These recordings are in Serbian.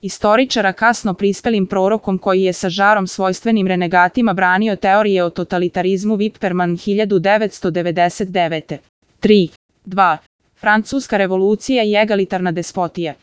istoričara kasno prispelim prorokom koji je sa žarom svojstvenim renegatima branio teorije o totalitarizmu Wipperman 1999. 3. 2. Francuska revolucija i egalitarna despotija.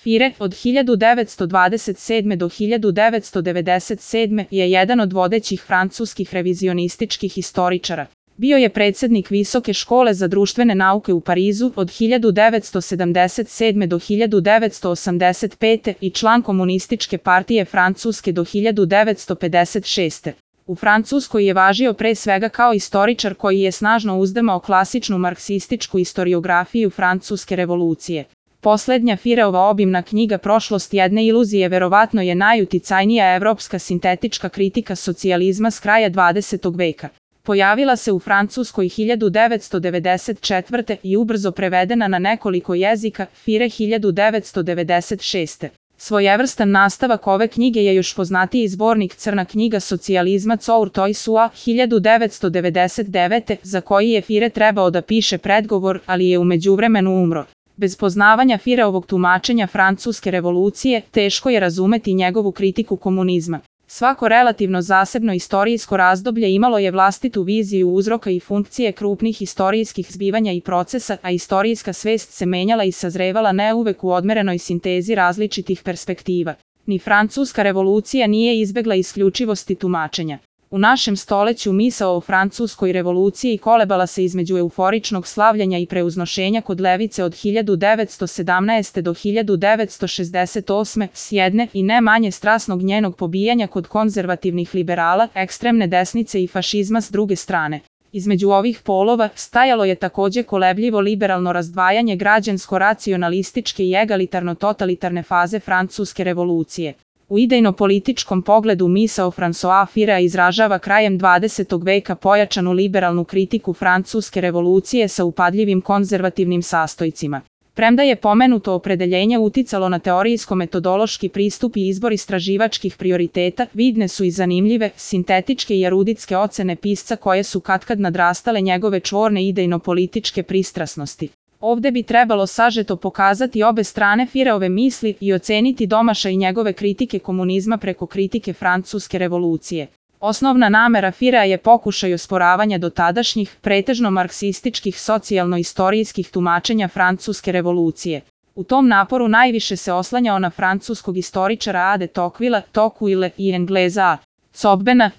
Fire od 1927. do 1997. je jedan od vodećih francuskih revizionističkih historičara. Bio je predsjednik Visoke škole za društvene nauke u Parizu od 1977. do 1985. i član Komunističke partije Francuske do 1956. U Francuskoj je važio pre svega kao istoričar koji je snažno uzdrmao klasičnu marksističku historiografiju francuske revolucije. Poslednja Fireova obimna knjiga Prošlost jedne iluzije verovatno je najuticajnija evropska sintetička kritika socijalizma s kraja 20. veka. Pojavila se u Francuskoj 1994. i ubrzo prevedena na nekoliko jezika, Fire 1996. Svojevrstan nastavak ove knjige je još poznatiji zbornik Crna knjiga socijalizma Cour Toisua 1999. za koji je Fire trebao da piše predgovor, ali je u međuvremenu umro. Bez poznavanja Fireovog tumačenja francuske revolucije, teško je razumeti njegovu kritiku komunizma. Svako relativno zasebno istorijsko razdoblje imalo je vlastitu viziju uzroka i funkcije krupnih istorijskih zbivanja i procesa, a istorijska svest se menjala i sazrevala ne uvek u odmerenoj sintezi različitih perspektiva. Ni francuska revolucija nije izbegla isključivosti tumačenja. U našem stoleću misao o francuskoj revoluciji kolebala se između euforičnog slavljanja i preuznošenja kod levice od 1917. do 1968. s jedne i ne manje strasnog njenog pobijanja kod konzervativnih liberala, ekstremne desnice i fašizma s druge strane. Između ovih polova stajalo je takođe kolebljivo liberalno razdvajanje građansko-racionalističke i egalitarno-totalitarne faze francuske revolucije. U idejno-političkom pogledu misao François Firea izražava krajem 20. veka pojačanu liberalnu kritiku francuske revolucije sa upadljivim konzervativnim sastojcima. Premda je pomenuto opredeljenje uticalo na teorijsko-metodološki pristup i izbor istraživačkih prioriteta, vidne su i zanimljive, sintetičke i eruditske ocene pisca koje su katkad nadrastale njegove čvorne idejno-političke pristrasnosti. Ovde bi trebalo sažeto pokazati obe strane Fireove misli i oceniti domašaj njegove kritike komunizma preko kritike francuske revolucije. Osnovna namera Firea je pokušaj osporavanja dotadašnjih, pretežno marksističkih socijalno-istorijskih tumačenja francuske revolucije. U tom naporu najviše se oslanjao na francuskog istoričara A. de Tocqueville i Engleza A.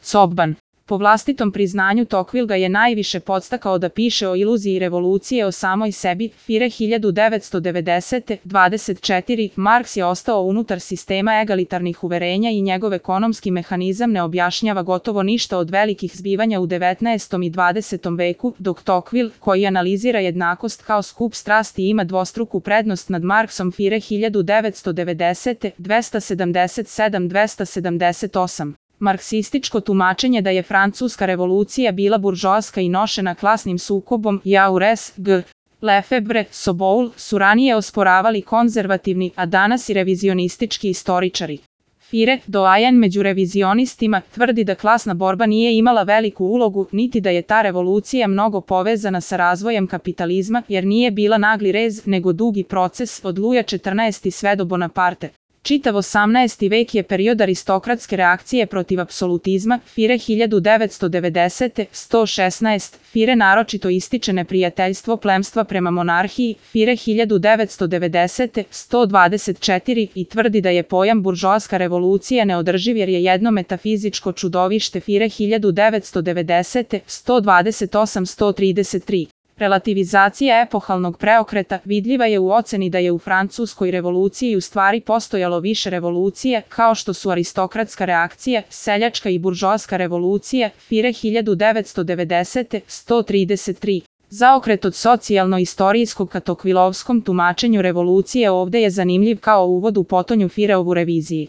Zobban. Po vlastitom priznanju Tocqueville ga je najviše podstakao da piše o iluziji revolucije o samoj sebi, Fire 1990. 24. Marks je ostao unutar sistema egalitarnih uverenja i njegov ekonomski mehanizam ne objašnjava gotovo ništa od velikih zbivanja u 19. i 20. veku, dok Tocqueville, koji analizira jednakost kao skup strasti ima dvostruku prednost nad Marksom Fire 1990. 277-278. Marksističko tumačenje da je francuska revolucija bila buržoaska i nošena klasnim sukobom, Jaurès, G. Lefebvre, Soboul, su ranije osporavali konzervativni, a danas i revizionistički istoričari. Fire, doajen među revizionistima, tvrdi da klasna borba nije imala veliku ulogu, niti da je ta revolucija mnogo povezana sa razvojem kapitalizma, jer nije bila nagli rez, nego dugi proces od Luja XIV sve do Bonaparte. Čitav 18. vek je period aristokratske reakcije protiv apsolutizma, Fire 1990. 116. Fire naročito ističe neprijateljstvo plemstva prema monarhiji, Fire 1990. 124. i tvrdi da je pojam buržoaska revolucija neodrživ jer je jedno metafizičko čudovište, Fire 1990. 128-133. Relativizacija epohalnog preokreta vidljiva je u oceni da je u francuskoj revoluciji u stvari postojalo više revolucije, kao što su aristokratska reakcija, seljačka i buržoaska revolucija, Fire 1990. 133. Zaokret od socijalno-istorijskog ka Tocquevillovskom tumačenju revolucije ovde je zanimljiv kao uvod u potonju Fireovu reviziji.